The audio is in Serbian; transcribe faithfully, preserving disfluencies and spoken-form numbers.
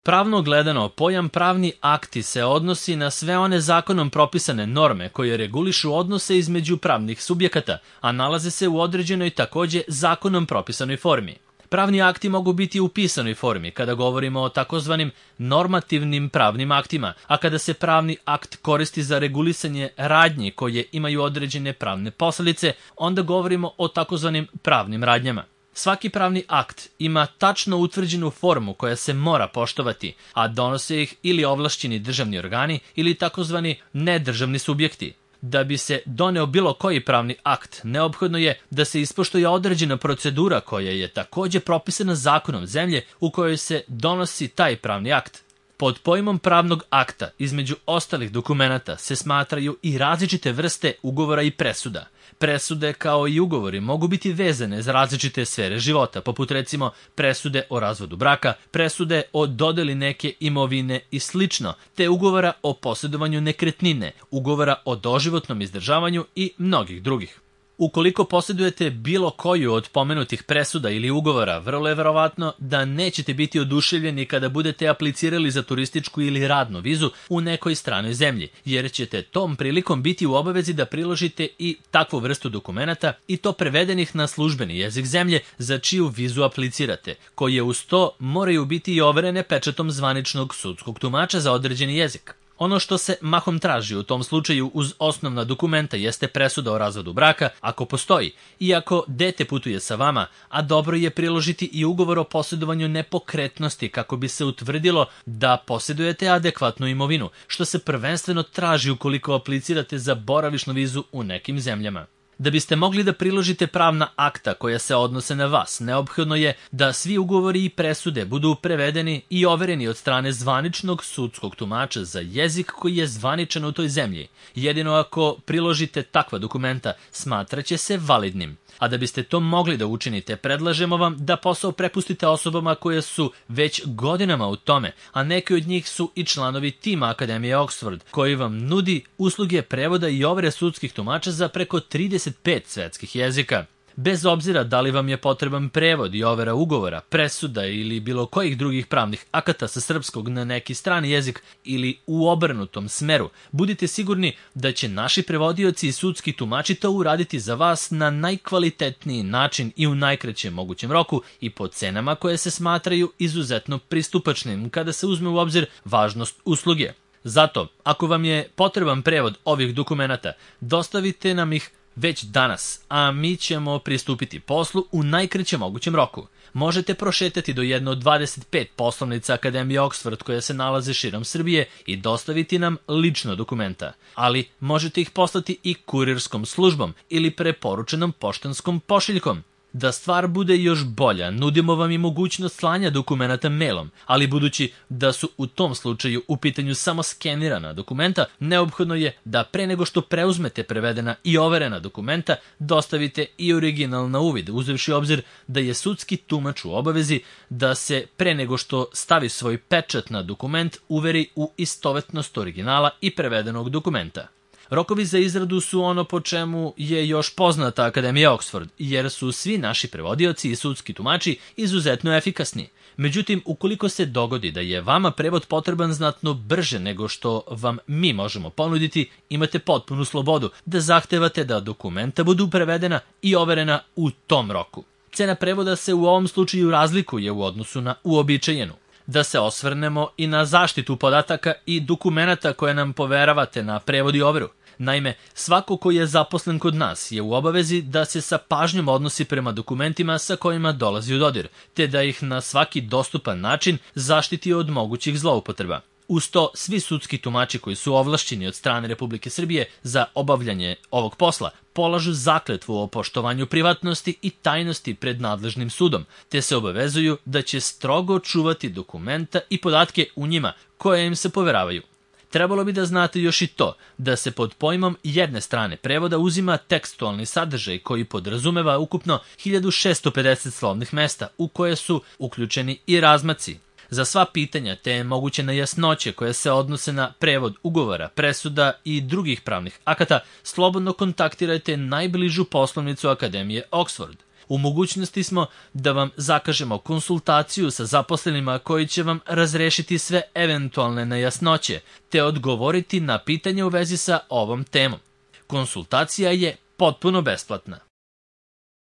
Pravno gledano, pojam pravni akti se odnosi na sve one zakonom propisane norme koje regulišu odnose između pravnih subjekata, a nalaze se u određenoj takođe zakonom propisanoj formi. Pravni akti mogu biti u pisanoj formi kada govorimo o takozvanim normativnim pravnim aktima, a kada se pravni akt koristi za regulisanje radnji koje imaju određene pravne posledice, onda govorimo o takozvanim pravnim radnjama. Svaki pravni akt ima tačno utvrđenu formu koja se mora poštovati, a donose ih ili ovlašćeni državni organi ili takozvani nedržavni subjekti. Da bi se doneo bilo koji pravni akt, neophodno je da se ispoštuje određena procedura koja je takođe propisana zakonom zemlje u kojoj se donosi taj pravni akt. Pod pojmom pravnog akta, između ostalih dokumenata, se smatraju i različite vrste ugovora i presuda. Presude kao i ugovori mogu biti vezane za različite sfere života, poput recimo presude o razvodu braka, presude o dodeli neke imovine i slično, te ugovora o posjedovanju nekretnine, ugovora o doživotnom izdržavanju i mnogih drugih. Ukoliko posjedujete bilo koju od pomenutih presuda ili ugovora, vrlo je verovatno da nećete biti oduševljeni kada budete aplicirali za turističku ili radnu vizu u nekoj stranoj zemlji, jer ćete tom prilikom biti u obavezi da priložite i takvu vrstu dokumenata i to prevedenih na službeni jezik zemlje za čiju vizu aplicirate, koje uz to moraju biti i overene pečatom zvaničnog sudskog tumača za određeni jezik. Ono što se mahom traži u tom slučaju uz osnovna dokumenta jeste presuda o razvodu braka, ako postoji, i ako dete putuje sa vama, a dobro je priložiti i ugovor o posjedovanju nepokretnosti kako bi se utvrdilo da posjedujete adekvatnu imovinu, što se prvenstveno traži ukoliko aplicirate za boravišnu vizu u nekim zemljama. Da biste mogli da priložite pravna akta koja se odnose na vas, neophodno je da svi ugovori i presude budu prevedeni i overeni od strane zvaničnog sudskog tumača za jezik koji je zvaničan u toj zemlji. Jedino ako priložite takva dokumenta, smatraće se validnim. A da biste to mogli da učinite, predlažemo vam da posao prepustite osobama koje su već godinama u tome, a neki od njih su i članovi tima Akademije Oxford, koji vam nudi usluge prevoda i overe sudskih tumača za preko trideset pet svetskih jezika. Bez obzira da li vam je potreban prevod i overa ugovora, presuda ili bilo kojih drugih pravnih akata sa srpskog na neki strani jezik ili u obrnutom smeru, budite sigurni da će naši prevodioci i sudski tumači to uraditi za vas na najkvalitetniji način i u najkraćem mogućem roku i po cenama koje se smatraju izuzetno pristupačnim kada se uzme u obzir važnost usluge. Zato, ako vam je potreban prevod ovih dokumenata, dostavite nam ih već danas, a mi ćemo pristupiti poslu u najkraćem mogućem roku. Možete prošetati do jedne od dvadeset pet poslovnica Akademije Oxford koje se nalaze širom Srbije i dostaviti nam lično dokumenta, ali možete ih poslati i kurirskom službom ili preporučenom poštanskom pošiljkom. Da stvar bude još bolja, nudimo vam i mogućnost slanja dokumenata mailom, ali budući da su u tom slučaju u pitanju samo skenirana dokumenta, neophodno je da pre nego što preuzmete prevedena i overena dokumenta, dostavite i original na uvid, uzevši obzir da je sudski tumač u obavezi da se pre nego što stavi svoj pečat na dokument uveri u istovetnost originala i prevedenog dokumenta. Rokovi za izradu su ono po čemu je još poznata Akademija Oxford, jer su svi naši prevodioci i sudski tumači izuzetno efikasni. Međutim, ukoliko se dogodi da je vama prevod potreban znatno brže nego što vam mi možemo ponuditi, imate potpunu slobodu da zahtevate da dokumenta budu prevedena i overena u tom roku. Cena prevoda se u ovom slučaju razlikuje u odnosu na uobičajenu. Da se osvrnemo i na zaštitu podataka i dokumenata koje nam poveravate na prevod i overu. Naime, svako ko je zaposlen kod nas je u obavezi da se sa pažnjom odnosi prema dokumentima sa kojima dolazi u dodir, te da ih na svaki dostupan način zaštiti od mogućih zloupotreba. Uz to, svi sudski tumači koji su ovlašćeni od strane Republike Srbije za obavljanje ovog posla polažu zakletvu o poštovanju privatnosti i tajnosti pred nadležnim sudom, te se obavezuju da će strogo čuvati dokumenta i podatke u njima koje im se poveravaju. Trebalo bi da znate još i to da se pod pojmom jedne strane prevoda uzima tekstualni sadržaj koji podrazumeva ukupno hiljadu šesto pedeset slovnih mesta u koje su uključeni i razmaci. Za sva pitanja te moguće nejasnoće koje se odnose na prevod ugovora, presuda i drugih pravnih akata, slobodno kontaktirajte najbližu poslovnicu Akademije Oxford. U mogućnosti smo da vam zakažemo konsultaciju sa zaposlenima koji će vam razrešiti sve eventualne nejasnoće te odgovoriti na pitanje u vezi sa ovom temom. Konsultacija je potpuno besplatna.